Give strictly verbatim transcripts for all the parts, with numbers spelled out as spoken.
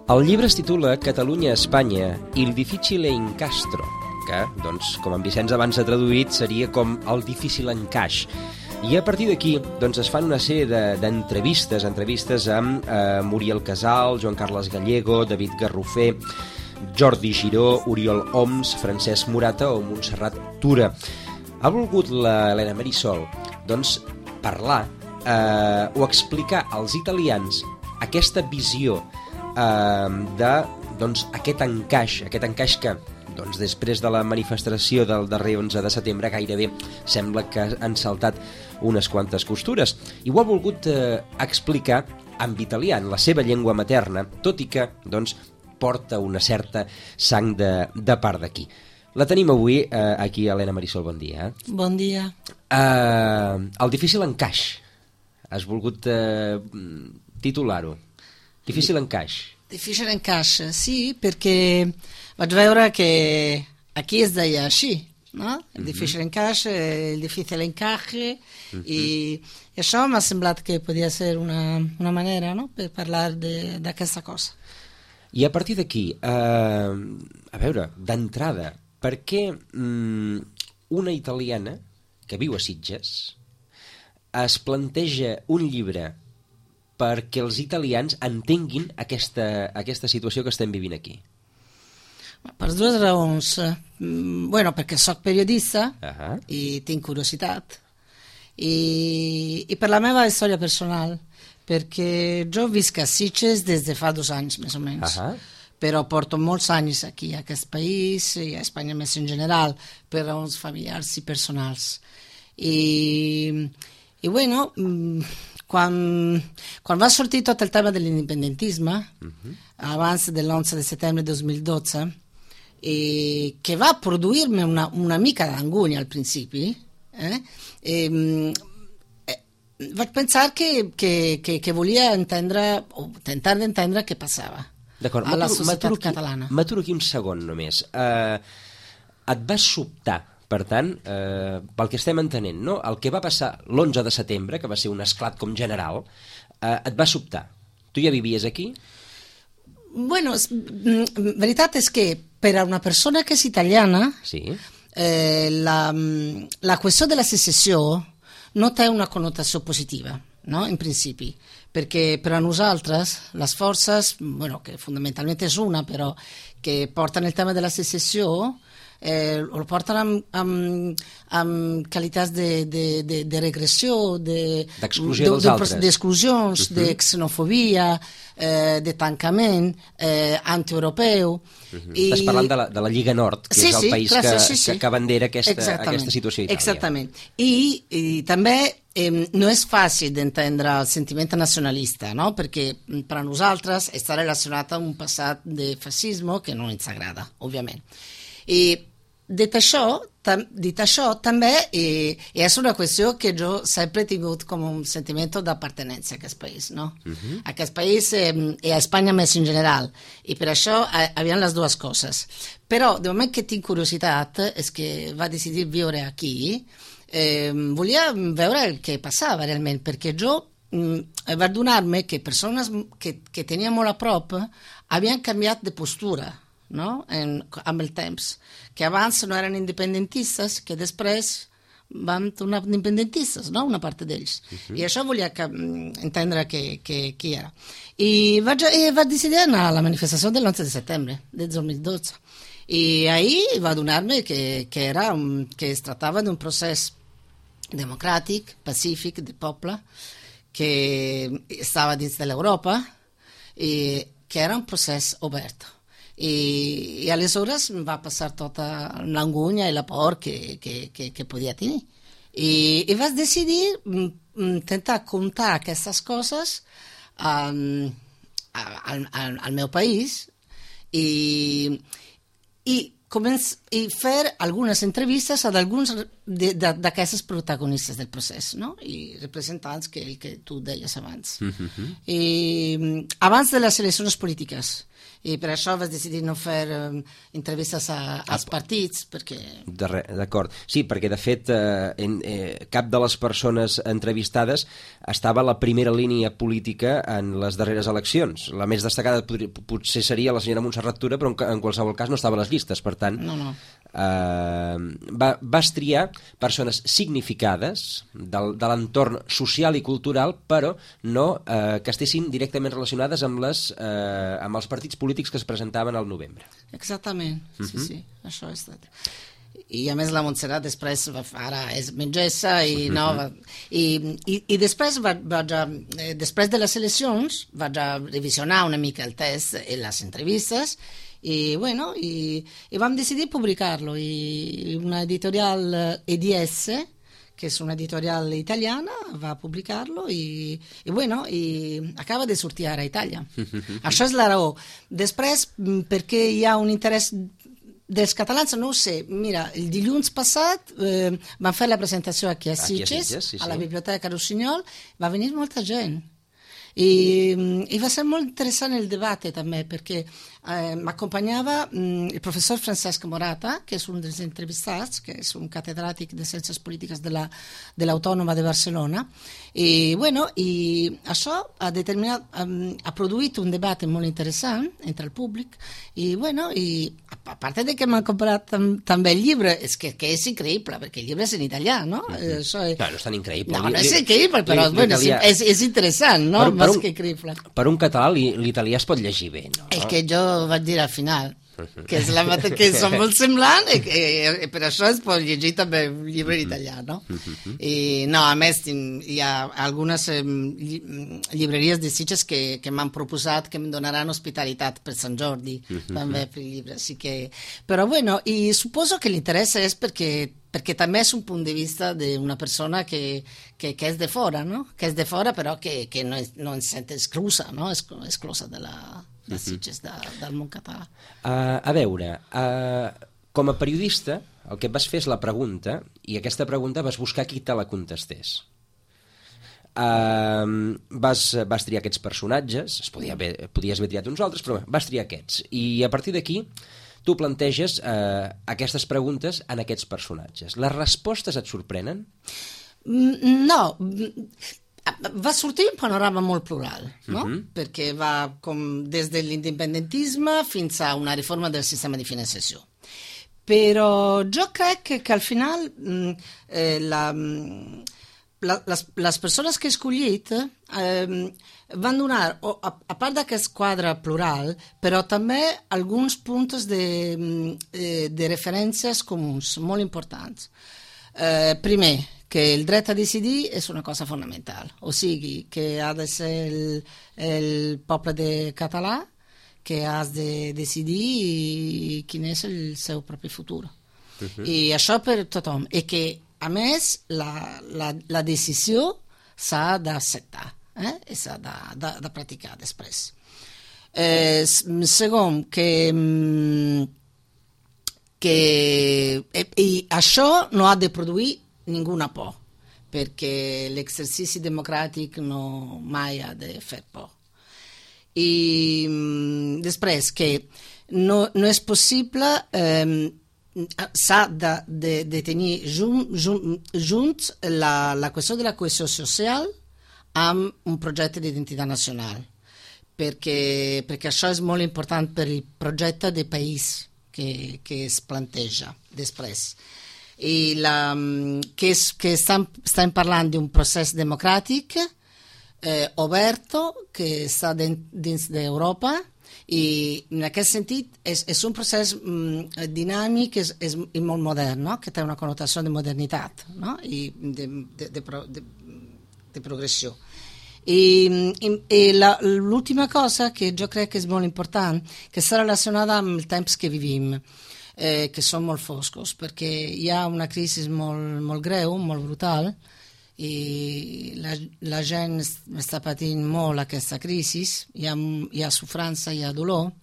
El llibre es titula Catalunya-Espanya, il difficile incastro, que, doncs, com en Vicenç abans ha traduït, seria com el difícil encaix. I a partir d'aquí doncs, es fan una sèrie d'entrevistes, de, entrevistes amb eh, Muriel Casal, Joan Carles Gallego, David Garrofer, Jordi Giró, Oriol Oms, Francesc Morata o Montserrat Tura. Ha volgut l'Helena Marisol doncs, parlar eh, o explicar als italians aquesta visió eh, de doncs, aquest encaix, aquest encaix que doncs, després de la manifestació del darrer onze de setembre gairebé sembla que han saltat unes quantes costures. I ho ha volgut eh, explicar en italià, en la seva llengua materna, tot i que doncs, porta una certa sang de, de part d'aquí. La tenim avui eh, aquí, Helena Marisol, bon dia. Bon dia. Eh, el difícil encaix. Has volgut eh, titular-ho. Difícil encaix. Difícil encaix, sí, perquè vaig veure que aquí es deia així, no? El mm-hmm. difícil encaix, el difícil encaje, mm-hmm. i, i això m'ha semblat que podia ser una, una manera, no?, per parlar d'aquesta cosa. I a partir d'aquí, eh, a veure, d'entrada, per què mm, una italiana que viu a Sitges es planteja un llibre perquè els italians entenguin aquesta, aquesta situació que estem vivint aquí? Per dues raons. Bueno, perquè soc periodista uh-huh. i tinc curiositat, i, i per la meva història personal, perquè jo visc a Sitges des de fa dos anys, més o menys. Uh-huh. Però porto molts anys aquí, a aquest país, i a Espanya més en general, per raons familiars i personals. I, i bueno, quan, quan va sortir tot el tema de l'independentisme, uh-huh. abans de l'onze de setembre de dos mil dotze, i que va produir-me una, una mica d'angúnia al principi, eh? E, vaig pensar que, que, que, que volia entendre, o tentar d'entendre què passava a la societat catalana. M'aturo aquí un segon només. Uh, et va sobtar, per tant, uh, pel que estem entenent, no? El que va passar l'onze de setembre, que va ser un esclat com general, uh, et va sobtar. Tu ja vivies aquí? Bueno, és, veritat és que per a una persona que és italiana, sí. eh, la, la qüestió de la secessió no té una connotació positiva, no? In principi, perquè per a nosaltres les forces, bueno, que fonamentalment és una, però que porten el tema de la secessió, eh, lo porten amb, amb, amb qualitats de, de, de, de regressió, d'exclusió de, dels de, altres, d'exclusions, uh-huh. de xenofobia, eh, de tancament eh, antieuropeu. Uh-huh. I... Estàs parlant de la, de la Lliga Nord, que sí, és el sí, país clar, que, sí, sí. que, que bandera aquesta, aquesta situació a Itàlia. Exactament. I, i també eh, no és fàcil d'entendre el sentiment nacionalista, no? Perquè per a nosaltres està relacionat amb un passat de fascisme que no ens agrada, òbviament. I dit això, tam, dit això també eh, és una qüestió que jo sempre he tingut com un sentiment d'appartenència a aquest país, no? Uh-huh. A aquest país eh, i a Espanya més en general, i per això eh, havien les dues coses. Però de moment que tinc curiositat és que va decidir viure aquí, eh, volia veure el que passava realment, perquè jo mm, vaig adonar-me que persones que, que tenia molt a prop havien canviat de postura, no? En, amb el temps, que abans no eren independentistes, que després van tornar independentistes, no? Una part d'ells. Uh-huh. I això volia que, entendre que, que, qui era. I vaig, i vaig decidir anar a la manifestació de l'onze de setembre de dos mil dotze. I ahir va donar-me que, que, era un, que es tractava d'un procés democràtic, pacífic, de poble, que estava dins de l'Europa i que era un procés obert. I, i aleshores va passar tota l'angúnia i la por que, que, que, que podia tenir. I, i vaig decidir intentar contar aquestes coses um, al, al, al meu país i, i, començ, i fer algunes entrevistes a alguns d'aquestes protagonistes del procés, no? I representants que, que tu deies abans. Mm-hmm. I, abans de les eleccions polítiques. I per això vas decidir no fer um, entrevistes a, als partits, perquè... D'acord. Sí, perquè de fet eh, en, eh, cap de les persones entrevistades estava a la primera línia política en les darreres eleccions. La més destacada podria, potser seria la senyora Montserrat Tura, però en, en qualsevol cas no estava a les llistes, per tant... No, no. Eh, va, vas triar persones significades del, de l'entorn social i cultural, però no eh, que estessin directament relacionades amb, les, eh, amb els partits polítics que es presentaven al novembre. Exactament, uh-huh. sí, sí, això és estat. I a més la Montserrat després va, ara és metgessa i, no, va, i, i, i després va, vaig a, eh, després de les eleccions vaig a revisionar una mica el test i les entrevistes i bueno, i, i vam decidir publicar-lo i una editorial E D S, que és una editorial italiana, va publicar-lo i, i bueno, i acaba de sortir ara a Itàlia. Això és la raó. Després, perquè hi ha un interès dels catalans, no ho sé. Mira, el dilluns passat eh, van fer la presentació aquí a Sitges, aquí a, Sitges sí, sí. a la Biblioteca Rossinyol, va venir molta gent. I, i va ser molt interessant el debat també, perquè eh, m'acompanyava mm, el professor Francesc Morata, que és un dels entrevistats, que és un catedràtic de Ciències Polítiques de la, de l'Autònoma de Barcelona, i, bueno, i això ha, determinat, ha, ha produït un debat molt interessant entre el públic, i, bueno, i a part de que m'han comprat tam, també el llibre, és que, que és increïble, perquè el llibre és en italià, no? Mm-hmm. Això és... No, no és tan increïble. No, no és increïble, però li, bueno, és, és, és interessant, no? Per, per, un, que increïble. Per un català l'italià es pot llegir bé, no? És que jo vaig dir al final que, és la, que són molt semblants i, i, i per això es pot llegir també un llibre en italià, no? I no, a més hi ha algunes eh, llibreries de Sitges que, que m'han proposat que em donaran hospitalitat per Sant Jordi també per llibre, així que... Però bueno, i suposo que l'interès és perquè perquè també és un punt de vista d'una persona que, que, que és de fora, no? Que és de fora però que, que no, no es sent exclusa, no? Exclusa de la... de Sitges, de, del món català. Uh, a veure, uh, com a periodista, el que et vas fer és la pregunta, i aquesta pregunta vas buscar qui te la contestés. Uh, vas, vas triar aquests personatges, es podia haver, podies haver triat uns altres, però vas triar aquests. I a partir d'aquí, tu planteges uh, aquestes preguntes en aquests personatges. Les respostes et sorprenen? No, va sortir un panorama molt plural, no? Uh-huh. Perquè va com des de l'independentisme fins a una reforma del sistema de finançació. Però jo crec que, que al final eh, la, la, les, les persones que he escollit eh, van donar, a, a part d'aquest quadre plural, però també alguns punts de, de referències comuns molt importants. Eh, primer, que el dret a decidir és una cosa fonamental, o sigui, que ha de ser el, el poble de català que has de decidir quin és el seu propi futur. Uh-huh. I això per tothom. I que, a més, la, la, la decisió s'ha d'acceptar, eh? I s'ha de, de, de practicar després. Eh, segon, que... que i, i això no ha de produir ninguna por, perquè l'exercici democràtic no mai ha de fer por. I després que no, no és possible, eh, s'ha de, de, de tenir junt, junt, junts la, la qüestió de la cohesió social amb un projecte d'identitat nacional, perquè, perquè això és molt important per el projecte de país que, que es planteja després. I la, que, és, que estem, estem parlant d'un procés democràtic eh, oberto que està dins d'Europa i en aquest sentit és, és un procés mm, dinàmic és, és, i molt modern, no? Que té una connotació de modernitat, no? I de, de, de, de, de progressió. I, i, i la, l'última cosa que jo crec que és molt important, que està relacionada amb els temps que vivim, Eh, que són molt foscos, perquè hi ha una crisi molt, molt greu, molt brutal, i la, la gent està patint molt aquesta crisi, hi ha, hi ha sofrança, hi ha dolor.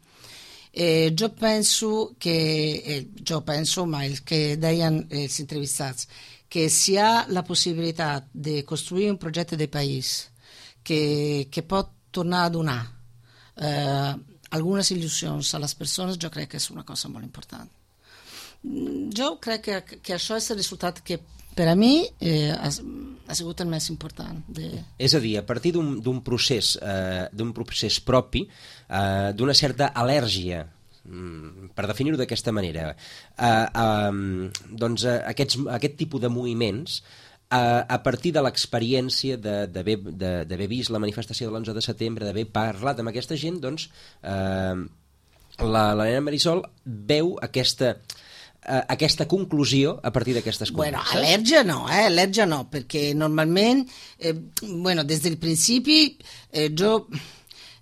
Eh, jo penso que, eh, jo penso, ma el que deien els entrevistats, que si hi ha la possibilitat de construir un projecte de país que, que pot tornar a donar eh, algunes il·lusions a les persones, jo crec que és una cosa molt important. Jo crec que, que això és el resultat que per a mi eh, ha, ha sigut el més important. De... És a dir, a partir d'un procés, eh, d'un procés propi, eh, d'una certa al·lèrgia, per definir-ho d'aquesta manera, eh, eh, doncs eh, aquests, aquest tipus de moviments, eh, a partir de l'experiència d'haver vist la manifestació de l'onze de setembre, d'haver parlat amb aquesta gent, doncs eh, la, la nena Marisol veu aquesta... aquesta conclusió a partir d'aquestes converses? Bueno, al·lèrgia no, eh? al·lèrgia no, perquè normalment, eh, bueno, des del principi, eh, jo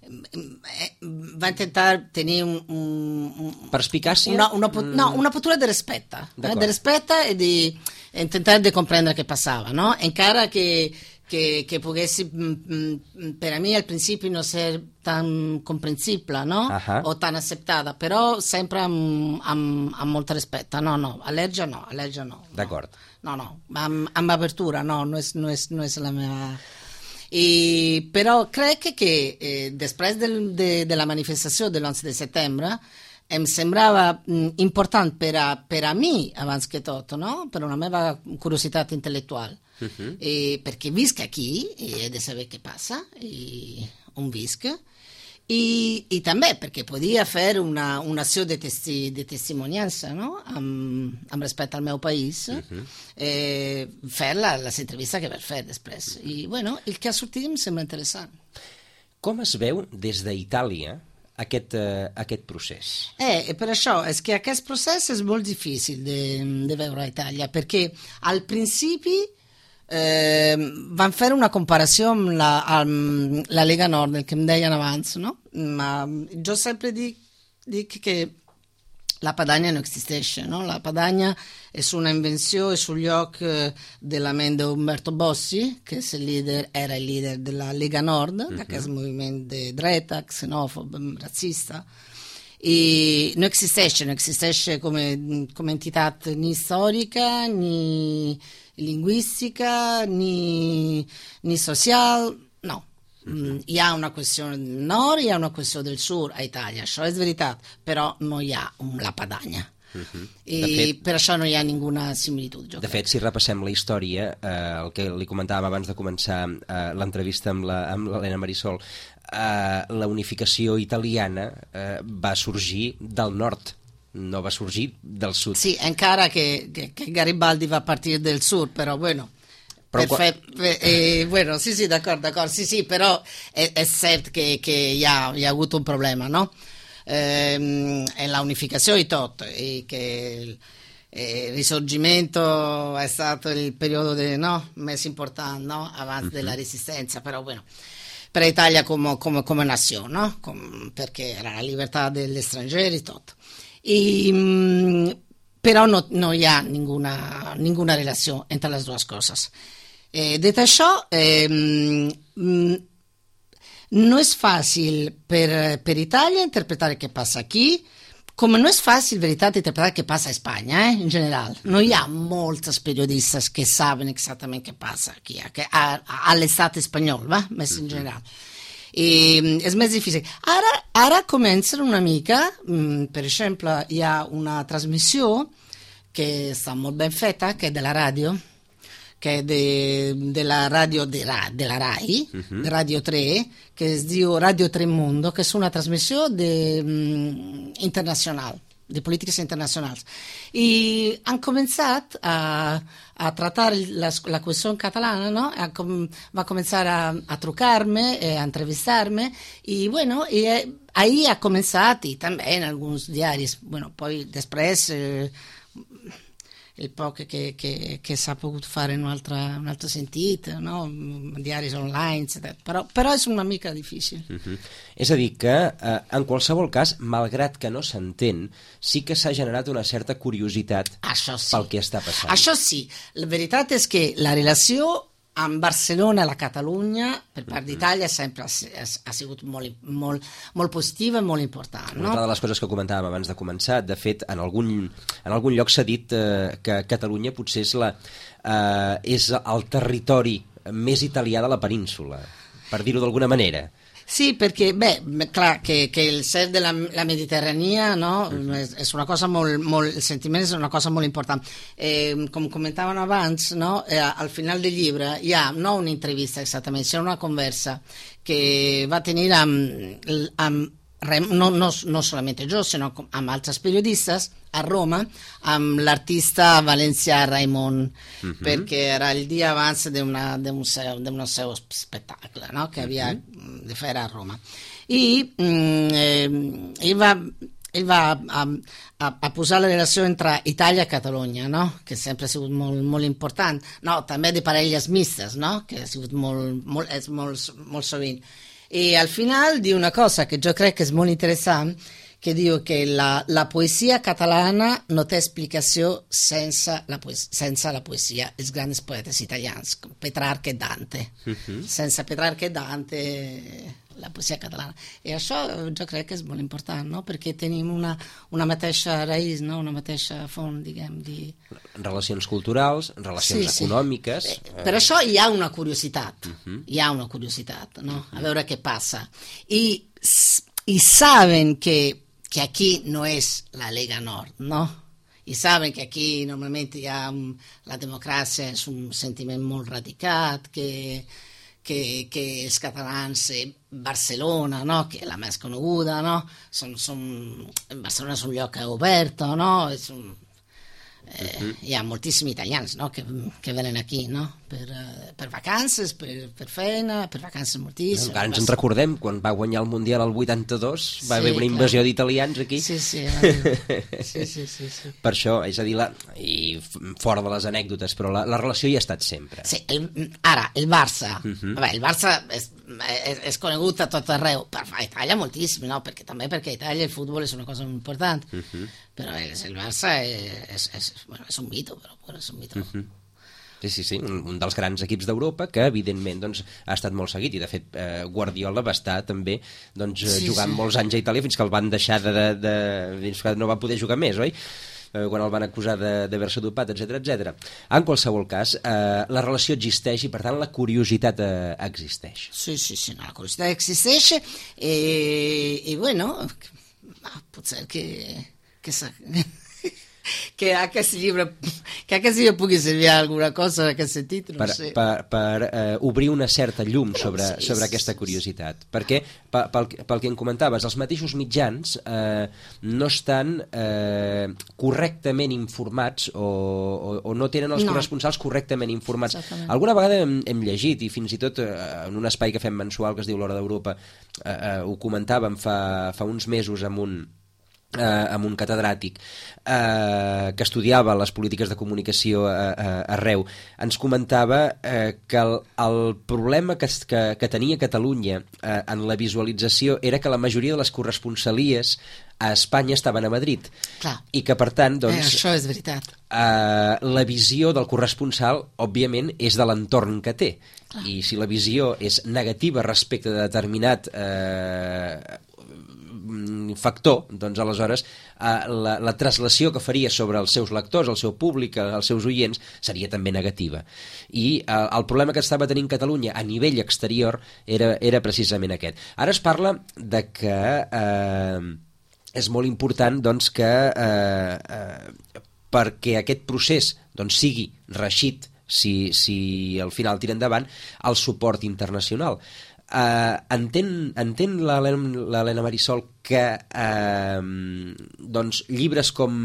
eh, va intentar tenir un... un Perspicàcia? Una, una, mm. No, una postura de rispetto, eh, de rispetto e di intentar de comprendere che passava, no? Encara che che, che poguessi mh, per a me al principio non essere tan comprensibile, no? Uh-huh. O tan accettata, però sempre amb, amb, amb molt rispetto. No, no, al·lèrgia no, al·lèrgia no. D'acord. No, no, amb, amb apertura, no, no és, no és, no és la meva... I, però crec que eh, després del, de, de la manifestació de l'onze de setembre em sembrava mh, important per a, per a mi, abans que tot, no? Per una meva curiositat intel·lectual. Uh-huh. eh, perché visc aquí e he de saber què passa i on visc i, i també perquè podia fer una, una acció de, testi, de testimoniança, no? amb, amb respecte al meu país, uh-huh. eh, fer la, les entrevistes que vaig fer després i bueno, el que ha sortit em sembla interessant. Com es veu des d'Itàlia aquest, uh, aquest procés? Eh, per això, és que aquest procés és molt difícil de, de veure a Itàlia, perquè al principi Eh, van fer una comparació amb la, amb la Lega Nord, el que em deien abans, no? Ma jo sempre dic, dic que la Padania no existeix, no? La Padania és una invenció, és un lloc de la ment d'Umberto Bossi, que és el líder, era il leader della Lega Nord, uh-huh. d'aquest moviment de dreta, xenòfob, razzista, i no existeix, no existeix com, com entitat ni storica, ni lingüística, ni, ni social, no. Mm, hi ha una qüestió del nord, hi ha una qüestió del sud a Itàlia, això és veritat, però no hi ha un, la Padania. Uh-huh. I fet, per això no hi ha ninguna similitud. De crec. fet, si repassem la història, eh, el que li comentàvem abans de començar eh, l'entrevista amb l'Helena Marisol, eh, la unificació italiana eh, va sorgir del nord, no va sorgir del sud. Sí, encara que, que, que Garibaldi va partir del sud, però bueno... Però qua... eh, bueno, sì, sì, d'accordo, d'accordo, sì, sì, però è, è certo che, che hi, ha, hi ha avuto un problema, no? Eh, è la unificazione di tutto, e che il, il risorgimento è stato il periodo de, no? més important, no? Abans uh-huh. della resistenza, però bueno, per l'Italia come, come, come nazione, no? Come, perché era la libertà degli stranieri e tutto. I, però no, no hi ha ninguna, ninguna relació entre les dues coses. Eh, dit això, eh, no és fàcil per, per Itàlia interpretar què passa aquí, com no és fàcil, veritat, interpretar què passa a Espanya, eh, in general. No hi ha molts periodistes que saben exactament què passa aquí, a, a, a l'estat espanyol, va? Més in general. I és més difícil. Ara, ara comença una mica, per exemple, hi ha una trasmissió che sta molto ben fatta, che è della radio, che è de, della radio de, della RAI, uh-huh. Radio tre, che es diu Radio tre Mundo, che è una trasmissione um, internazionale, di politiche internazionali. I han començat a, a tratar la, la qüestió catalana, no? A com, va començar a, a trucar-me, a entrevistar-me, i bueno, i, eh, ahí ha començat, i també en alguns diaris, bueno, poi després... Eh, il poc che, che, che s'ha pogut fare in un altro, un altro sentit, no? Diaris online, etcètera. Però, però és una mica difícil. Uh-huh. És a dir que, eh, en qualsevol cas, malgrat que no s'entén, sí que s'ha generat una certa curiositat sí. pel que està passant. Això sí. La veritat és que la relació amb Barcelona, la Catalunya, per part d'Itàlia, sempre ha, ha sigut molt, molt, molt positiva i molt important. No? Una de les coses que comentàvem abans de començar, de fet, en algun, en algun lloc s'ha dit eh, que Catalunya potser és, la, eh, és el territori més italià de la península, per dir-ho d'alguna manera. Sì, perché, beh, clar que, que el ser de la, la Mediterrània, no? Uh-huh. és, és una cosa molt, molt, el sentiment és una cosa molt important. Eh, com comentaven abans, no? Eh, al final del llibre hi ha no una entrevista exactament, sinó una conversa que va tenir amb, amb no, no, no solamente jo, sinó amb altres periodistes a Roma, amb l'artista valencià Raimon, uh-huh. perquè era el dia abans d'un seu, seu spettacolo, no? che havia uh-huh. de fer a Roma. I mm, eh, ell va, ell va a, a, a posar la relació entre Itàlia i Catalunya, no? que sempre ha sigut molt, molt important, no, també de parelles mistes, no? que ha sigut molt, molt, és molt, molt sovint. I al final diu una cosa que jo crec que és molt interessant, que diu que la, la poesia catalana no té explicació sense la, poesia, sense la poesia dels grans poetes italians, com Petrarca e Dante. Uh-huh. Sense Petrarca e Dante la poesia catalana. I això jo crec que és molt important, no? perquè tenim una, una mateixa raïs, no? una mateixa font, diguem, de... Relacions culturals, relacions sí, econòmiques... Sí. Eh, per això hi ha una curiositat, uh-huh. hi ha una curiositat, no? a veure què passa. I, i saben que, que aquí no és la Lega Nord, no? I saben que aquí normalment hi ha la democràcia, és un sentiment molt radicat, que... Que, que els catalans, eh, Barcelona, no? que és la més coneguda, no? són, són, Barcelona és un lloc obert, no? és un, eh, uh-huh. hi ha moltíssims italians no? que, que venen aquí no? per, per vacances, per, per feina, per vacances moltíssimes. Encara ens en recordem, quan va guanyar el Mundial el vuitanta-dos, va sí, haver una invasió clar. d'italians aquí. Sí, sí, sí, sí, sí, sí. Per això, és a dir, la, i fora de les anècdotes, però la, la relació hi ha estat sempre. Sí, el, ara, el Barça, uh-huh. a veure, el Barça és, és, és conegut a tot arreu, per a Itàlia moltíssim, no? perquè també perquè a Itàlia el futbol és una cosa molt important, uh-huh. però el, el Barça és, és, és, bueno, és un mito, però bueno, és un mito. Uh-huh. Sí, sí, sí, un, un dels grans equips d'Europa que evidentment doncs, ha estat molt seguit i de fet eh, Guardiola va estar també doncs, sí, jugant sí. molts anys a Itàlia fins que el van deixar de, de, de, fins que no va poder jugar més, oi? Eh, quan el van acusar d'haver-se dopat, etcètera, etcètera. En qualsevol cas, eh, la relació existeix i per tant la curiositat eh, existeix. Sí, sí, sí, no, la curiositat existeix i, i bueno, potser que, que sa... que aquest llibre que aquest llibre pugui servir a alguna cosa en aquest sentit, no per, sé. Per, per uh, obrir una certa llum sobre, sí, sobre aquesta curiositat. Perquè, pel, pel que em comentaves, els mateixos mitjans eh, no estan eh, correctament informats o, o, o no tenen els no. corresponsals correctament informats. Exactament. Alguna vegada hem, hem llegit, i fins i tot eh, en un espai que fem mensual que es diu L'Hora d'Europa, eh, eh, ho comentàvem fa, fa uns mesos amb un Eh, amb un catedràtic eh, que estudiava les polítiques de comunicació eh, eh, arreu, ens comentava eh, que el, el problema que, que, que tenia Catalunya eh, en la visualització era que la majoria de les corresponsalies a Espanya estaven a Madrid. Clar. I que per tant doncs, eh, això és veritat. Eh, la visió del corresponsal òbviament és de l'entorn que té. Clar. I si la visió és negativa respecte de determinat eh, factor, doncs aleshores eh, la, la traslació que faria sobre els seus lectors, el seu públic, els seus oients, seria també negativa. I eh, el problema que estava tenint Catalunya a nivell exterior era, era precisament aquest. Ara es parla de que eh, és molt important doncs, que eh, eh, perquè aquest procés doncs, sigui reeixit, si, si al final tira endavant, el suport internacional. Uh, entén, entén l'Helena Marisol que uh, doncs, llibres com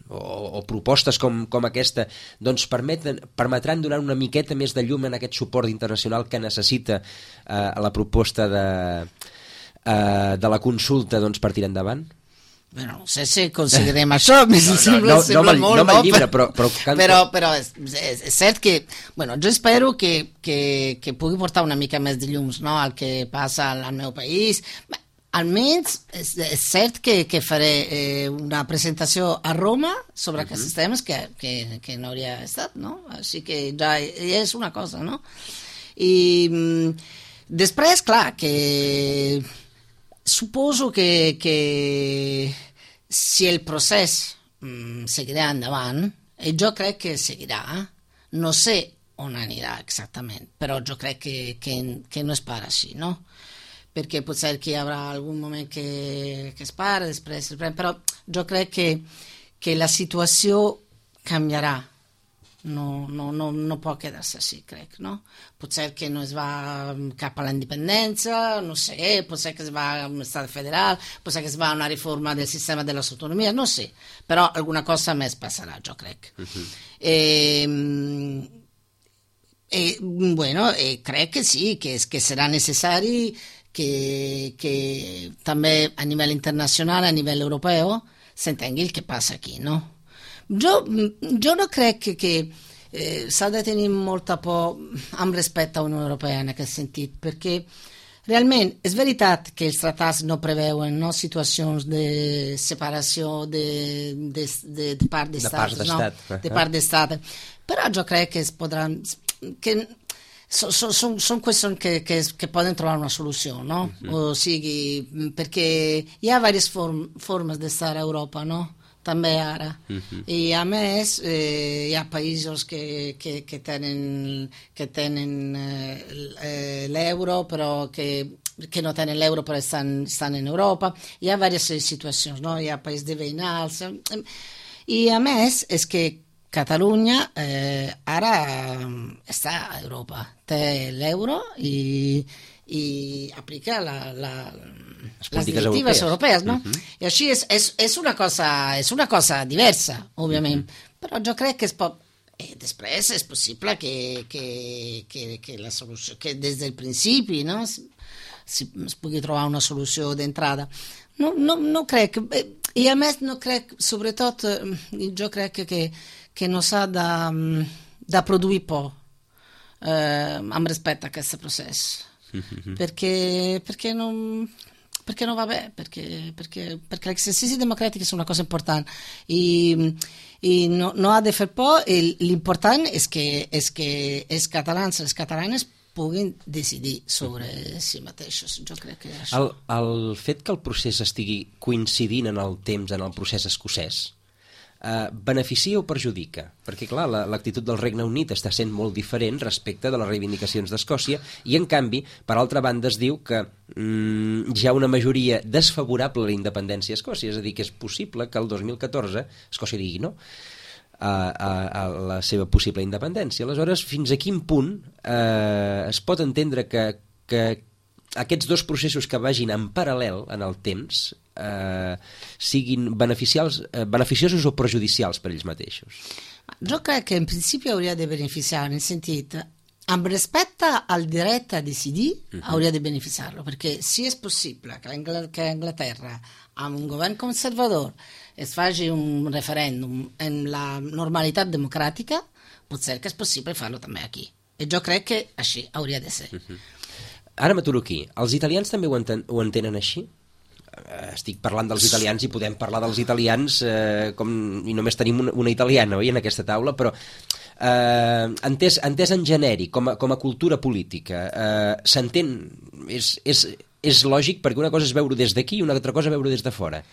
o, o propostes com, com aquesta doncs permeten, permetran donar una miqueta més de llum en aquest suport internacional que necessita uh, la proposta de, uh, de la consulta doncs, per tirar endavant? Bueno, no sé si aconseguirem això, no, no, sembla, no, sembla no, molt, no, no, llibre, però, però, però, canto... però, però és, és, és cert que, bueno, jo espero que, que, que pugui portar una mica més de llums, no?, al que passa al, al meu país. Bé, almenys és, és cert que, que faré eh, una presentació a Roma sobre uh-huh. aquests temes que, que, que no hauria estat, no? Així que ja és una cosa, no? I mm, després, clar, que... Suposo que, que si el procés mm, seguirà endavant, e jo crec que seguirà, no sé on anirà exactament, però jo crec que, que, que no és per així, no? perché può essere che avrà algun moment che, che spara, després, però jo crec que, que la situació canviarà. No, no, no, no può quedarse així, crec, no? Pot ser que no es va cap a la independència, no sé, pot ser que es va a un estat federal, pot ser que es va a una riforma del sistema de les autonomies, no sé, però alguna cosa més passarà, jo crec. Uh-huh. eh, eh, bueno, eh, crec que sí, que, que serà necessari que, que també a nivell internacional, a nivell europeu, s'entengui el que passa aquí, no? Jo, jo no crec que, que eh, s'ha de tenir molta por amb respecte a la Unió Europea en aquest sentit, perquè realment és veritat que els tractats no preveuen, no, situacions de separació de, de, de, de part d'estat, de, no? de part d'estat, però jo crec que es podran que són so, so, so qüestions que, que, que poden trobar una solució, no? Uh-huh. O sigui, perquè hi ha diverses form, formes d'estar a Europa, no? També ara. Uh-huh. I a més eh, hi ha països que, que, que tenen, que tenen eh, l'euro, però que, que no tenen l'euro però estan, estan en Europa. Hi ha diverses situacions, no? Hi ha països de veïnals. I a més és que Catalunya eh, ara està a Europa, té l'euro i, i aplica la, la, les directives europees, no? Uh-huh. I així és, és, és, una cosa, és una cosa diversa, òbviament, uh-huh. però jo crec que es pot... Eh, després és possible que, que, que, que la solució, que des del principi, no? si, si es pugui trobar una solució d'entrada. No, no, no crec, eh, i a més no crec, sobretot, eh, jo crec que que no s'ha de, de produir por eh, amb respecte a aquest procés, mm-hmm. perquè, perquè, no, perquè no va bé, perquè, perquè, perquè l'exercici democràtic és una cosa important i, i no, no ha de fer por, i l'important és que, és que els catalans i les catalanes puguin decidir sobre si mateixos. Jo crec que això... El, el fet que el procés estigui coincidint en el temps en el procés escocès Uh, beneficia o perjudica? Perquè, clar, la, l'actitud del Regne Unit està sent molt diferent respecte de les reivindicacions d'Escòcia i, en canvi, per altra banda, es diu que mm, hi ha una majoria desfavorable a la independència a Escòcia, és a dir, que és possible que el dos mil catorze Escòcia digui no a, a, a la seva possible independència. Aleshores, fins a quin punt eh, es pot entendre que, que aquests dos processos que vagin en paral·lel en el temps eh, siguin beneficials, eh, beneficiosos o perjudicials per ells mateixos? Jo crec que en principi hauria de beneficiar, nel sentit, amb respecte al dret a decidir, uh-huh. hauria de beneficiar-lo, perquè si és possible que a Anglaterra, amb un govern conservador, es faci un referèndum en la normalitat democràtica, pot ser que és possible fer-lo també aquí. I jo crec que així hauria de ser. Uh-huh. Ara m'aturo aquí. Els italians també ho, enten, ho entenen així? Estic parlant dels italians i podem parlar dels italians eh, com, i només tenim una, una italiana, oi, en aquesta taula, però eh, entès, entès en genèric, com a, com a cultura política, eh, s'entén, és, és, és lògic, perquè una cosa és veure des d'aquí i una altra cosa veure des de fora.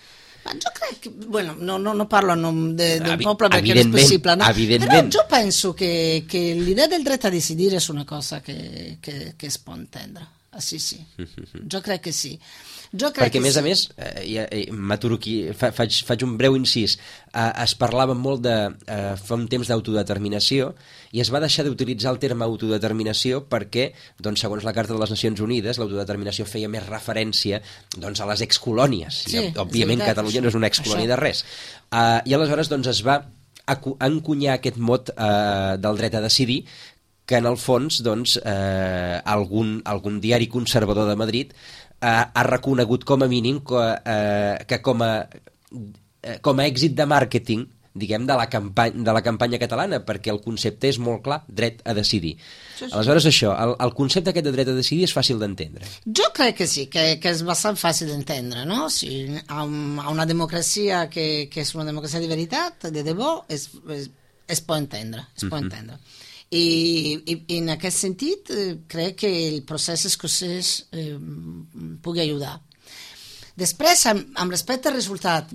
Jo crec que, bueno, no, no, no parlo en nom de, d'un poble perquè no és possible, no? Però jo penso que, que l'idea del dret a decidir és una cosa que, que, que es pot entendre. Ah, sí, sí. Jo crec que sí. Jo crec perquè, que a més sí. a més, eh, eh, m'aturo aquí, fa, faig, faig un breu incís, eh, es parlava molt de, eh, fa un temps d'autodeterminació i es va deixar d'utilitzar el terme autodeterminació perquè, doncs, segons la Carta de les Nacions Unides, l'autodeterminació feia més referència doncs, a les excolònies. Sí, I, òbviament, veritat, Catalunya això, no és una excolònia això. de res. Uh, I aleshores doncs, es va encunyar aquest mot uh, del dret a decidir, que en el fons doncs, eh, algun, algun diari conservador de Madrid eh, ha reconegut com a mínim que, eh, que com, a, eh, com a èxit de màrqueting, diguem, de la, campanya, de la campanya catalana, perquè el concepte és molt clar, dret a decidir. Sí, sí. Aleshores això, el, el concepte aquest de dret a decidir és fàcil d'entendre. Jo crec que sí, que, que és bastant fàcil d'entendre, no? Si a, a una democràcia que, que és una democràcia de veritat, de debò, es, es, es pot entendre, es pot uh-huh. entendre. I, i, i en aquest sentit eh, crec que el procés escocès eh, pugui ajudar. Després, amb, amb respecte al resultat,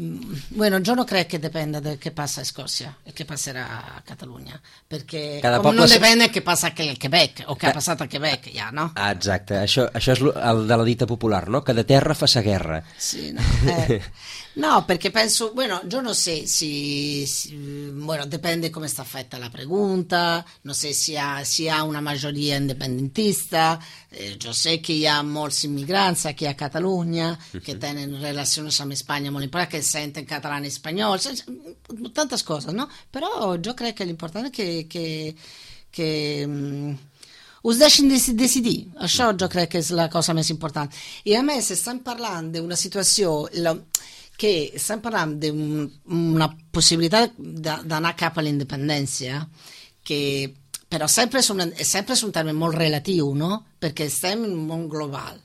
bueno, jo no crec que dependa del que passa a Escòcia e che passerà a Catalunya, perché Cada com poble non se- depende che passa al Quebec o che Ca- ha passat al Quebec, ja, no? Ah, exacte, això, això és lo- el de la dita popular, no? Que de terra fa sa guerra. Sì, no, eh, no, perché penso, bueno, yo no sé si, si- bueno, depende come sta fatta la pregunta, no sé si ha, si ha una maggioria independentista, eh, yo sé que hi ha molts immigrants aquí a Catalunya que tenen relacions amb Espanya molt importants, que senten català i espanyol, tantes coses, no? Però jo crec que l'important és que, que, que mm, us deixin dec- decidir, això jo crec que és la cosa més important. I a més estan parlant d'una situació la, que estan parlant d'una possibilitat de- d'anar cap a la independència, que però sempre és, un, sempre és un terme molt relatiu, no? Perquè estem en un món global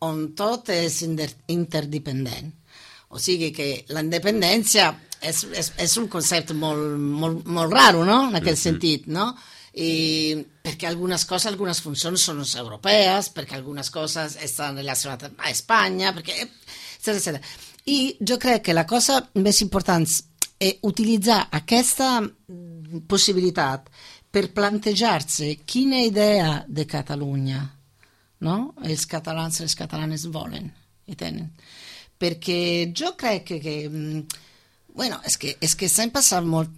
on tot és inter- interdependent. O sigui que la independència és, és, és un concepte molt, molt, molt raro, no? En aquest sentit, no? I perquè algunes coses, algunes funcions són europees, perquè algunes coses estan relacionades a Espanya, perquè, etcètera, etcètera. I jo crec que la cosa més important è utilitzar aquesta possibilitat per plantejar-se quina idea de Catalunya, no? Els catalans i les catalanes volen i tenen. Perquè jo crec que, que bueno, és que, és que estem passant molt...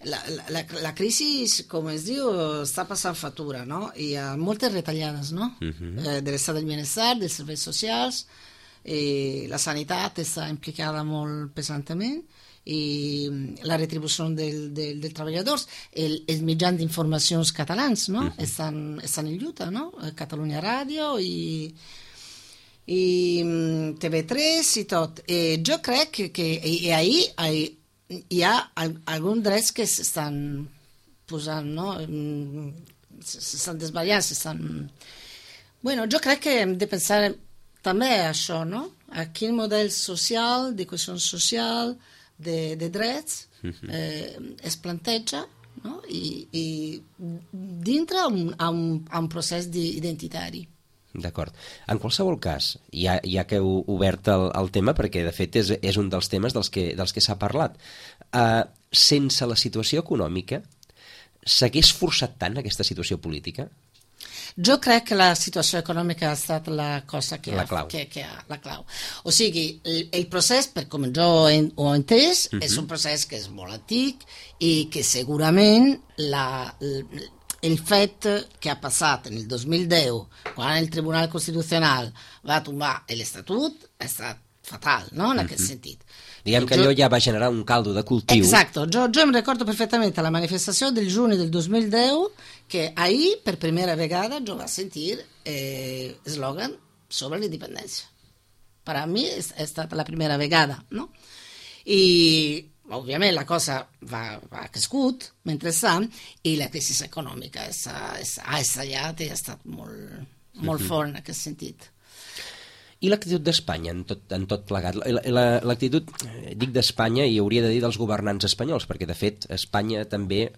La, la, la crisi, com es diu, està passant factura, no? Hi ha moltes retallades, no? Uh-huh. eh, de l'estat del benestar, dels serveis socials, i la sanitat està implicada molt pesantment, i la retribució del, del, dels treballadors, el, els mitjans d'informacions catalans, no? Uh-huh. estan, estan en lluita, no? Catalunya Ràdio i, i T V tres i tot. I jo crec que, que i ahí hi, hi ha alguns drets que s'estan posant, no? S'estan desballant, s'estan... Bueno, jo crec que hem de pensar també això, no? A quin model social, de cohesió social, de, de drets eh, es planteja, no? I, i dintre un, a, un, a un procés identitari. D'acord. En qualsevol cas, ja, ja que heu obert el, el tema, perquè de fet és, és un dels temes dels que, dels que s'ha parlat, uh, sense la situació econòmica, s'hagués forçat tant aquesta situació política? Jo crec que la situació econòmica ha estat la cosa que, la ha, clau. que, que ha, la clau. O sigui, el, el procés, per com jo ho he entès, uh-huh. és un procés que és molt antic i que segurament la, el, el fet que ha passat en el dos mil deu, quan el Tribunal Constitucional va tombar l'Estatut, ha estat fatal, no?, en uh-huh. aquest sentit. Diguem que jo... allò ja va generar un caldo de cultiu. Exacto, jo, jo em recordo perfectament la manifestació del juny del dos mil deu, que ahir, per primera vegada, jo vaig sentir eh, eslògan sobre la independència. Per a mi ha estat la primera vegada, no? I, òbviament, la cosa va, va crescut mentrestant i la crisi econòmica ha, ha estallat i ha estat molt, molt uh-huh. fort en aquest sentit. I l'actitud d'Espanya en tot, en tot plegat? L'actitud, dic d'Espanya, i hauria de dir dels governants espanyols, perquè de fet Espanya també,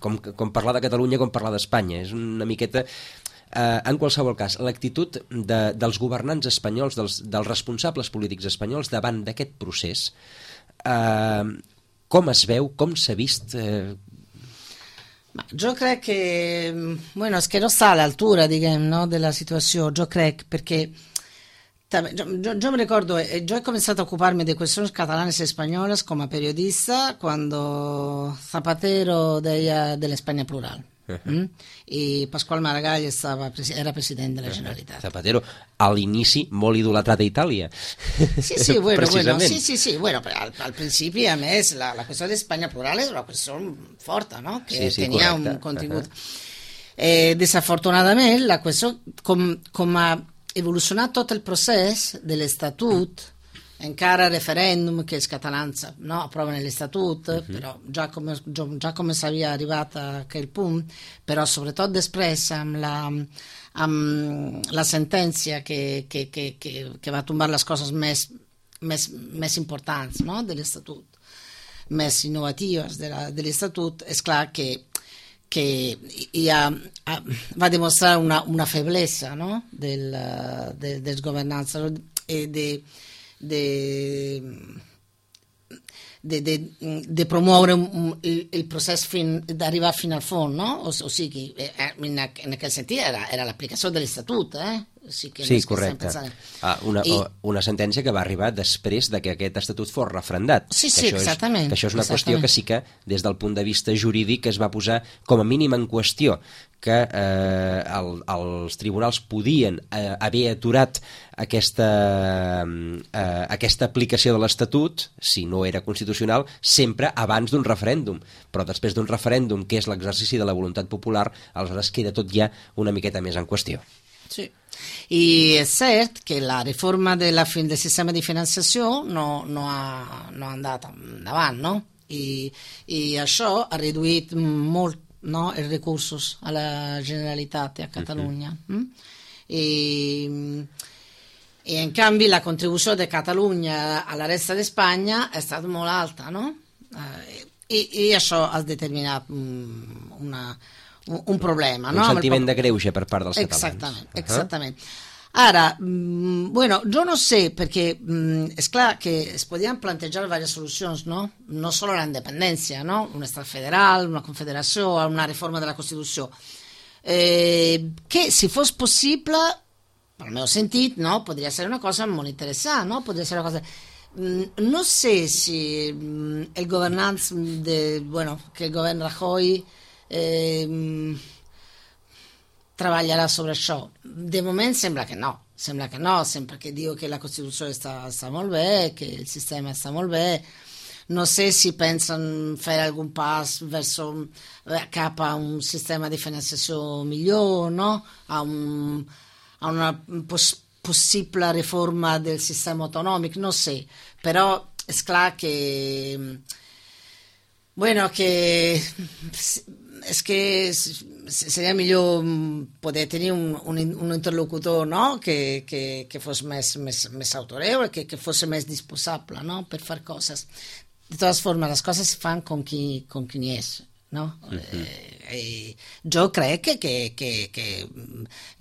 com, com parlar de Catalunya com parlar d'Espanya, és una miqueta... Eh, en qualsevol cas, l'actitud de, dels governants espanyols, dels, dels responsables polítics espanyols davant d'aquest procés, eh, com es veu, com s'ha vist... Eh... Jo crec que... Bueno, és que no està a l'altura, diguem, no, de la situació, jo crec, perquè... Yo, yo, yo me recuerdo, yo he comenzado a ocuparme de cuestiones catalanas y españolas como periodista cuando Zapatero deia de la España plural. Uh-huh. ¿Mm? Y Pasqual Maragall estava, era president de la Generalitat. Zapatero, a l'inici, molt idolatrat a Itàlia. Sí, sí, bueno, bueno, sí, sí, sí, bueno, però al, al principi, a més, la, la qüestió d'Espanya plural és una qüestió forta, no?, que sí, sí, tenia correcte. Un contingut. Uh-huh. Eh, desafortunadament, la qüestió, com, com a evolucionat tot el procés de l'Estatut, encara referèndum que els catalans no, aproven l'Estatut, uh-huh. però ja com, ja com s'havia arribat a aquell punt, però sobretot després amb la, amb la sentència que, que, que, que, que va tombar les coses més, més, més importants, no, de l'Estatut, més innovatives de, la, de l'Estatut, és clar que que ha, ha, va demostrar una, una feblesa, no?, del, de, dels governants, de, de, de, de, de promuovere un, il, il procés fin, d'arribar fino al fons, no? O, o sigui, en, en aquell sentit era, era l'aplicació de l'Estatut, eh? Sí, que sí, correcte. Ah, una, I, una sentència que va arribar després de que aquest estatut fos refrendat. Sí, sí, que exactament. És, que això és una exactament. qüestió que sí que, des del punt de vista jurídic, es va posar com a mínim en qüestió, que eh, el, els tribunals podien eh, haver aturat aquesta, eh, aquesta aplicació de l'Estatut, si no era constitucional, sempre abans d'un referèndum. Però després d'un referèndum, que és l'exercici de la voluntat popular, aleshores queda tot ja una miqueta més en qüestió. Sí. I és cert que la reforma de la, del sistema di finanziació no, no, ha, no ha andat endavant, no? I, i això ha reduït molt, no, els recursos a la Generalitat a Catalunya. Uh-huh. mm? I, I en canvi la contribució de Catalunya a la resta d'Espanya è stata molt alta, no? Eh, i, I això ha determinat una... un problema. Un no? sentiment de greuge per part dels exactament, catalans. Exactament. Ara, mh, bueno, jo no sé, perquè mh, és clar que es podien plantejar diverses solucions, no? No solo la independència, no? Un estat federal, una confederació, una reforma de la Constitució. Eh, que, si fos possible, pel meu sentit, no? Podria ser una cosa molt interessant, no? Podria ser una cosa... No sé si el governant de, bueno, que el govern Rajoy eh, treballarà sobre això. De moment sembra che no, sembra che no, sempre che diu che la Costituzione sta, sta molt bé, che il sistema sta molt bé. No sé si pensen fer algun pas verso, cap a un sistema di finanziació millor, no? A, un, a una pos, possible reforma del sistema autonòmic, no sé, però és clar que bueno, que és que seria millor poder tenir un, un, un interlocutor, no? que, que, que fos més, més, més autoreu, que, que fos més disposable, no? Per fer coses. De totes formes, les coses se fan com qui, com qui n'hi és. No? Uh-huh. eh, eh, jo crec que, que, que, que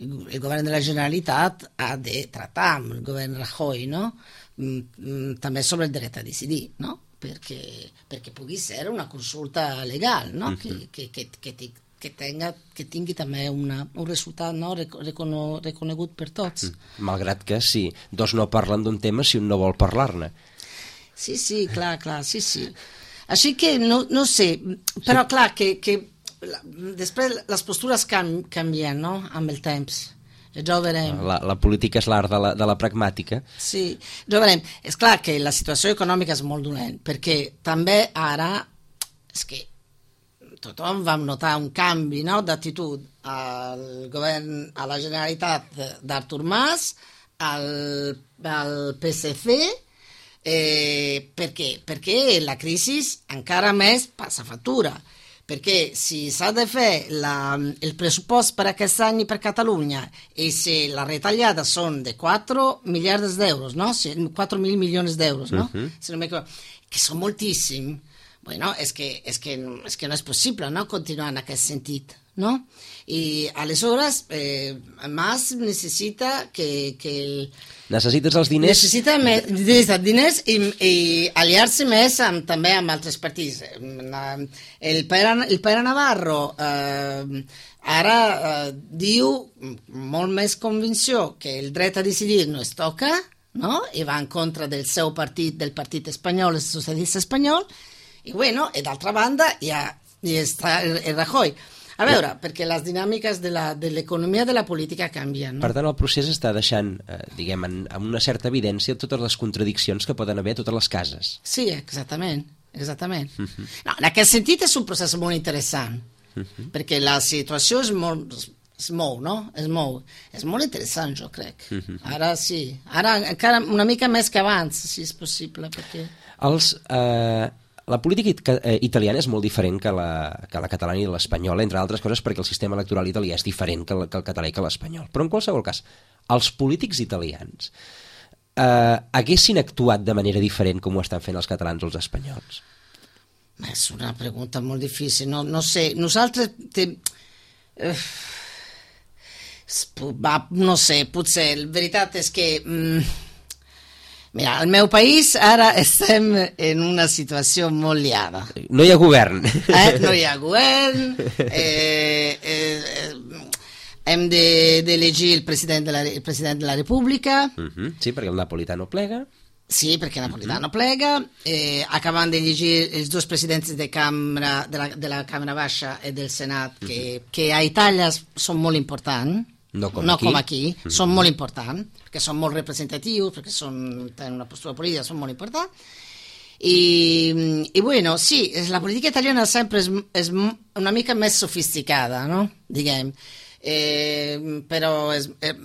el govern de la Generalitat ha de tractar amb el govern Rajoy, no? mm, també sobre el dret a decidir, no? Perché, perché pugui ser una consulta legal, no? Uh-huh. que, que, que, que, que, tenga, que tingui també una, un resultat, no? Recono, reconegut per tots. Mm. Malgrat que si dos no parlen d'un tema, si un no vol parlar-ne. Sí, sí, clar, clar, sí, sí. Així que no, no sé, però sí. Clar que, que després les postures can, canvien, no? Amb el temps. Ja ho veurem. La, la política és l'art de, la, de la pragmàtica. Sí, ja ho veurem. És clar que la situació econòmica és molt dolent, perquè també ara és que tothom vam notar un canvi, no? D'actitud al govern, a la Generalitat d'Artur Mas, al, al P S C. Eh, perché? Perché la crisi encara més passa factura, perché si s'ha de fer la, il pressupost per aquest any per Catalunya e se la retallada són de quatre miliards d'euros, no? quatre mil milions d'euros, no? Uh-huh. Si no que són moltíssim, bueno, és que, és que, és que no és possible, no? Continuar en aquest sentit, no? I aleshores eh, Mas necessita que, que el, necessites els diners necessita més, diners i, i aliar-se més amb, també amb altres partits. El Pere, el Pere Navarro eh, ara eh, diu molt més convicció que el dret a decidir no es toca, no? I va en contra del seu partit, del partit espanyol, el socialista espanyol, i bueno, i d'altra banda hi, ha, hi està el, el Rajoy. A veure, perquè les dinàmiques de l'economia de, de la política canvien. No? Per tant, el procés està deixant, eh, diguem, en, en una certa evidència totes les contradiccions que poden haver a totes les cases. Sí, exactament, exactament. Uh-huh. No, en aquest sentit és un procés molt interessant, uh-huh. perquè la situació és molt... es mou, no? Es mou. És molt interessant, jo crec. Uh-huh. Ara sí. Ara encara una mica més que abans, si és possible, perquè... Els... Eh... La política italiana és molt diferent que la, que la catalana i l'espanyola, entre altres coses perquè el sistema electoral italià és diferent que el, que el català i que l'espanyol. Però en qualsevol cas, els polítics italians eh, haguessin actuat de manera diferent com ho estan fent els catalans o els espanyols? És una pregunta molt difícil. No, no sé, nosaltres... Te... Eh... Va, no sé, potser, la veritat és que... Mm... Mira, al meu país ara estem en una situació molt liada. No hi ha govern. Eh? No hi ha govern, eh, eh, hem d'elegir el, president de la, el president de la República. Uh-huh. Sí, perquè el Napolitano plega. Sí, perché Napolitano plega, eh, acabant de llegir els dos presidents de, cambra, de, la, de la Cambra Baixa i del Senat, que, uh-huh. que a Itàlia són molt importants, no com no aquí, com aquí uh-huh. són molt importants, perquè són molt representatius, perquè són, tenen una postura política, són molt importants. I, i bueno, sí, la política italiana sempre és, és una mica més sofisticada, no? Diguem, eh, però és... Eh,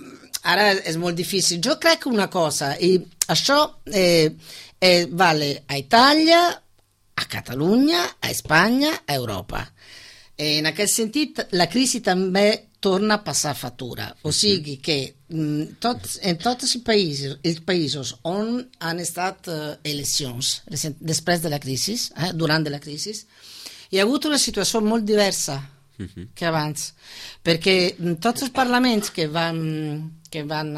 ara és molt difícil. Jo crec que una cosa, i això eh, eh, vale a Itàlia, a Catalunya, a Espanya, a Europa. Eh, en aquest sentit, la crisi també torna a passar factura. O sigui que mh, tots, en tots els països, els països on han estat eh, eleccions després de la crisi, eh, durant de la crisi, hi ha hagut una situació molt diversa que abans, perquè tots els parlaments que van, que van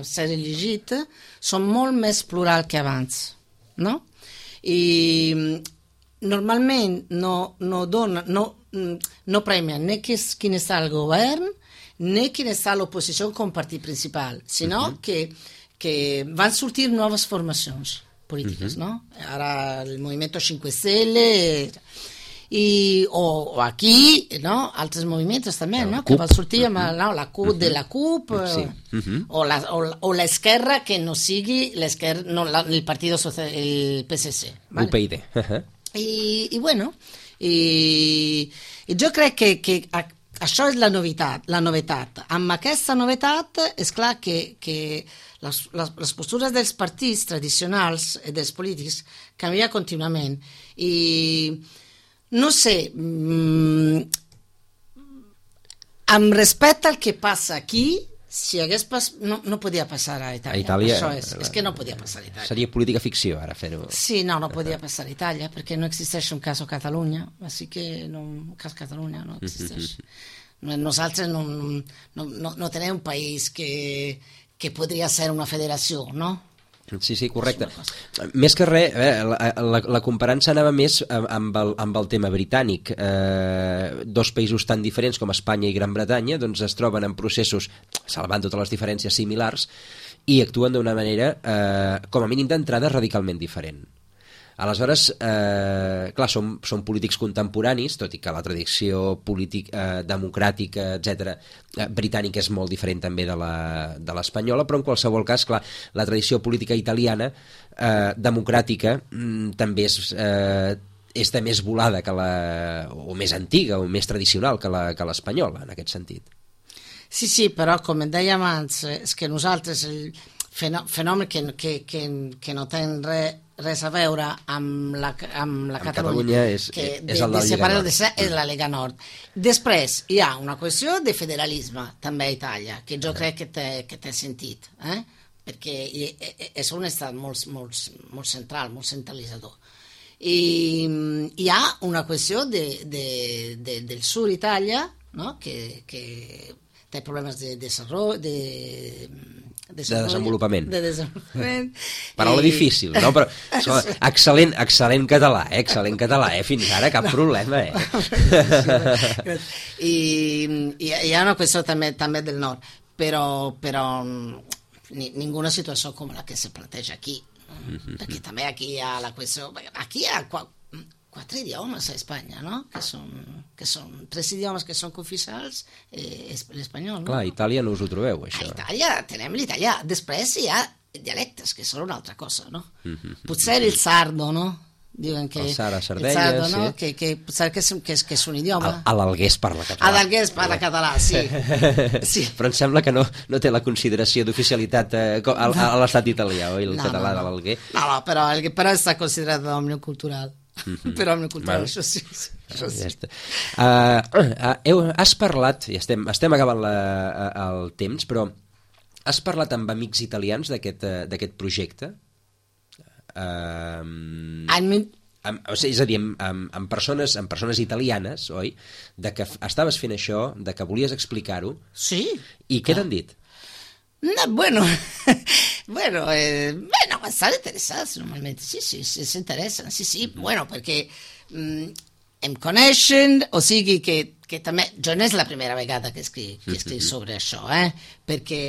ser elegits són molt més plural que abans, no? I normalment no, no, dona, no, no premien né quin està el govern né quin està l'oposició com partit principal, sinó uh-huh. que, que van sortir noves formacions polítiques, uh-huh. no? Ara el Movimento cinque Stelle... I, o, o aquí, no? Altres moviments també, no? Que van sortir amb no? la C U P uh-huh. de la C U P sí. uh-huh. o, la, o, o l'esquerra que no sigui l'esquerra, no, la, el Partido Social, el P S C. Vale? U P I D. Uh-huh. I, I bueno, i, i jo crec que, que a, això és la novetat, la novetat. Amb aquesta novetat és clar que, que les, les, les postures dels partits tradicionals i dels polítics canvien contínuament. I no sé, mmm, amb respecte al que passa aquí, si hagués pas... no, no podia passar a Itàlia. A Itàlia Això és, és que no podia passar a Itàlia. Seria política ficció, ara, fer-ho. Sí, no, no podia passar a Itàlia, perquè no existeix un cas a Catalunya, així que no, un cas a Catalunya no existeix. Nosaltres no, no, no, no tenim un país que, que podria ser una federació, no? Sí, sí, correcte. Més que res, eh, la, la, la comparança anava més amb el, amb el tema britànic. Eh, dos països tan diferents com Espanya i Gran Bretanya doncs es troben en processos, salvant totes les diferències similars, i actuen d'una manera, eh, com a mínim d'entrada, radicalment diferent. Aleshores, eh, clar, són, són polítics contemporanis, tot i que la tradició polític, eh, democràtica, etcètera, eh, britànica és molt diferent també de la, de l'espanyola, però en qualsevol cas, clar, la tradició política italiana, eh, democràtica, mm, també és, eh, és de més volada que la, o més antiga o més tradicional que la, que l'espanyola, en aquest sentit. Sí, sí, però com et dèiem abans, és que nosaltres el fenomen que, que, que, que no tenen res res a veure amb la, amb la amb Catalunya, Catalunya és, que és de, el de la Lliga Nord. De, és la Lega Nord. Després hi ha una qüestió de federalisme també a Itàlia, que jo crec que té, que té sentit, eh? Perquè és un estat molt, molt, molt central, molt centralitzador. I hi ha una qüestió de, de, de, del sud Itàlia, no? que, que té problemes de desenvolupament, de, de desenvolupament. De desenvolupament. Paraula I... difícil, no? Però so, excel·lent, excel·lent català, eh? Excel·lent català, eh? Fins ara cap no. problema, eh? I, I hi ha una qüestió també, també del nord, però, però ni, ninguna situació com la que se planteja aquí. Mm-hmm. Perquè també aquí hi ha la qüestió... Aquí hi ha quatre idiomes a Espanya, no? Que són, que són tres idiomes que són cooficials, eh, l'espanyol, no? Clar, a Itàlia no us ho trobeu, això. A Itàlia tenem l'italià. Després hi ha dialectes, que són una altra cosa, no? Mm-hmm. Potser el sardo, no? Diuen que... El sard a Sardenya, el sardo, no? sí. Que, que potser que és, que és, que és un idioma. A l'Alguer es parla català. A l'Alguer es parla català, sí. sí. Però em sembla que no, no té la consideració d'oficialitat eh, a, a l'estat italià, oi? El no, català no, no. de l'Alguer. No, no, però, el, però està considerat d'òmnium cultural. Mm-hmm. Però amb la cultura, bueno, això sí, això sí. Ja uh, uh, heu, has parlat, i estem, estem acabant la, uh, el temps, però has parlat amb amics italians d'aquest uh, d'aquest projecte? Uh, amb, amb, o sigui, és a dir, amb, amb, amb, persones, amb persones italianes, oi? De que estaves fent això, de que volies explicar-ho. Sí. I què t'han dit? No, bueno, Bueno, eh, bueno, estan interessats normalment, sí, sí, sí s'interessen, sí, sí, bueno, perquè mm, em coneixen, o sigui que, que també, jo no és la primera vegada que escric, que escric sobre això, eh? Perquè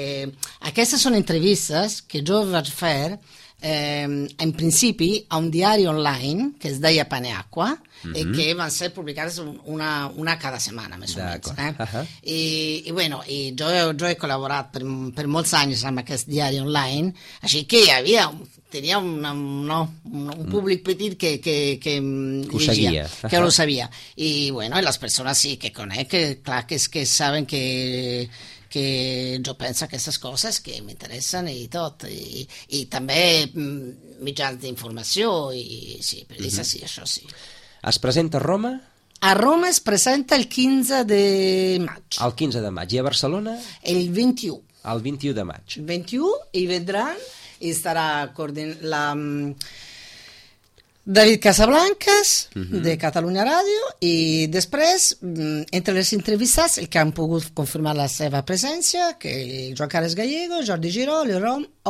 aquestes són entrevistes que jo vaig fer eh, en principi a un diari online que es deia Paneacqua, mm-hmm. i que van ser publicades una, una cada setmana, més o menys. Eh? Uh-huh. I, I, bueno, i jo, jo he col·laborat per, per molts anys amb aquest diari online, així que hi havia, tenia una, no, un, un públic petit que, que, que, que ho llegia, sabia. Que ho sabia. I, bueno, les persones sí que conec, que, clar, que, que saben que que jo penso aquestes coses que m'interessen i tot, i, i també mitjans d'informació, i sí, periodistes, sí, això sí. Es presenta a Roma? A Roma es presenta el quinze de maig. El quinze de maig. I a Barcelona? El vint-i-u. El vint-i-u de maig. El vint-i-u, i vendran, i estarà coordin... la... David Casablancas, uh-huh. de Catalunya Ràdio, i després, entre les entrevistats, el que han pogut confirmar la seva presència, que Joan Carles Gallego, Jordi Giró,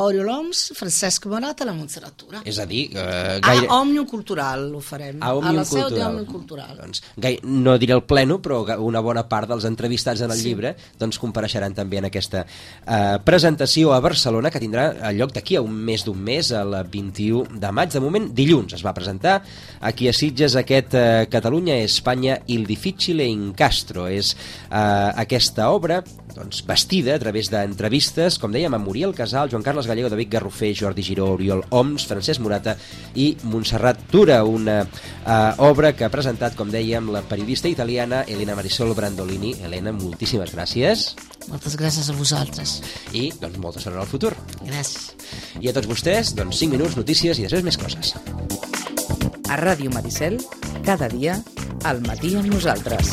Oriol Oms, Francesc Morat a la Montserrat Tura. És a dir, uh, gaire... A Òmnium Cultural ho farem. A, a la seu d'Òmnium Cultural. Doncs, gai... no diré el pleno, però una bona part dels entrevistats en el sí. llibre doncs compareixeran també en aquesta uh, presentació a Barcelona, que tindrà lloc d'aquí a un mes d'un mes, el vint-i-u de maig. De moment, dilluns es va presentar aquí a Sitges aquest uh, Catalunya, Espanya, il difficile incastro. És uh, aquesta obra doncs, bastida a través d'entrevistes, com dèiem, a Muriel Casal, Joan Carles Gallego, David Garrofer, Jordi Giró, Oriol Oms, Francesc Morata i Montserrat Tura, una uh, obra que ha presentat, com dèiem, la periodista italiana Elena Marisol Brandolini. Elena, moltíssimes gràcies. Moltes gràcies a vosaltres. I, doncs, molta sort en el futur. Gràcies. I a tots vostès, doncs, cinc minuts, notícies i després més coses. A Ràdio Maricel, cada dia, al matí amb nosaltres.